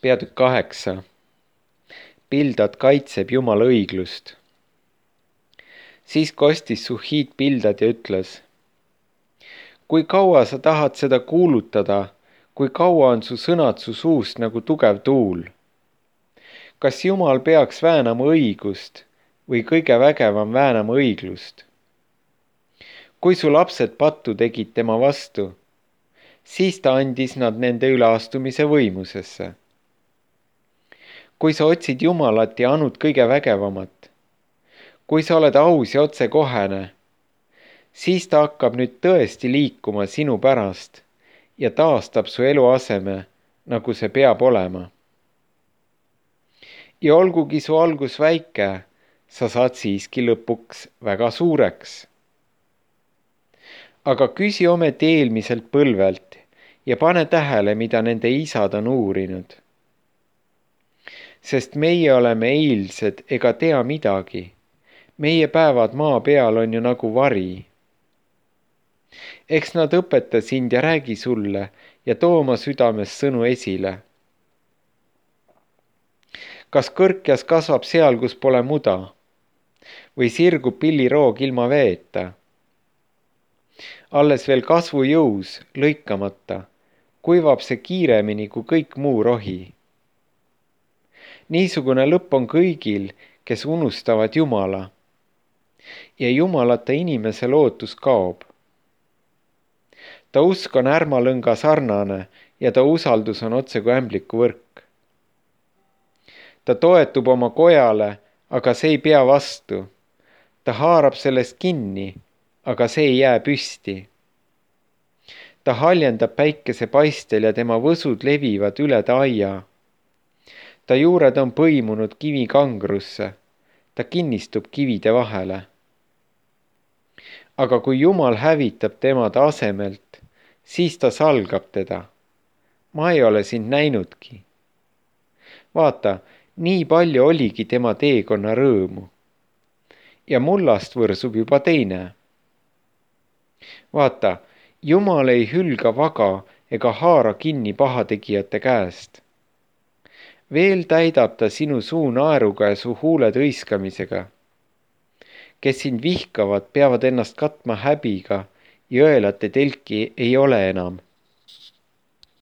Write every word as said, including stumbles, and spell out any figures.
Peatükk kaheksa. Bildad kaitseb Jumala õiglust. Siis kostis Suhiit Bildad ja ütles: kui kaua sa tahad seda kuulutada, kui kaua on su sõnad su suust nagu tugev tuul? Kas Jumal peaks väänama õigust või kõige vägevam väänama õiglust? Kui su lapsed pattu tegid tema vastu, siis ta andis nad nende üleastumise võimusesse. Kui sa otsid Jumalat ja anud kõige vägevamat, kui sa oled aus ja otsekohene, siis ta hakkab nüüd tõesti liikuma sinu pärast ja taastab su eluaseme, nagu see peab olema. Ja olgugi su algus väike, sa saad siiski lõpuks väga suureks. Aga küsi ometi eelmiselt põlvelt ja pane tähele, mida nende isad on uurinud. Sest meie oleme eilsed ega tea midagi. Meie päevad maa peal on ju nagu vari. Eks nad õpeta sind ja räägi sulle ja too oma südames sõnu esile. Kas kõrkjas kasvab seal, kus pole muda? Või sirgub pilliroog ilma veeta? Alles veel kasvu jõus, lõikamata, kuivab see kiiremini kui kõik muu rohi. Niisugune lõpp on kõigil, kes unustavad Jumala. Ja Jumalata inimese lootus kaob. Ta usk on ärmalõnga sarnane ja ta usaldus on otse kui ämbliku võrk. Ta toetub oma kojale, aga see ei pea vastu. Ta haarab sellest kinni, aga see ei jää püsti. Ta haljendab päikese paistel ja tema võsud levivad üle ta aia. Ta juured on põimunud kivi kangrusse, ta kinnistub kivide vahele. Aga kui Jumal hävitab tema ta asemelt, siis ta salgab teda. Ma ei ole sind näinudki. Vaata, nii palju oligi tema teekonna rõõmu. Ja mullast võrsub juba teine. Vaata, Jumal ei hülga vaga ega haara kinni pahategijate käest. Veel täidab ta sinu suu naeruga ja su huuled hõiskamisega. Kes sind vihkavad, peavad ennast katma häbiga ja õelate telki ei ole enam.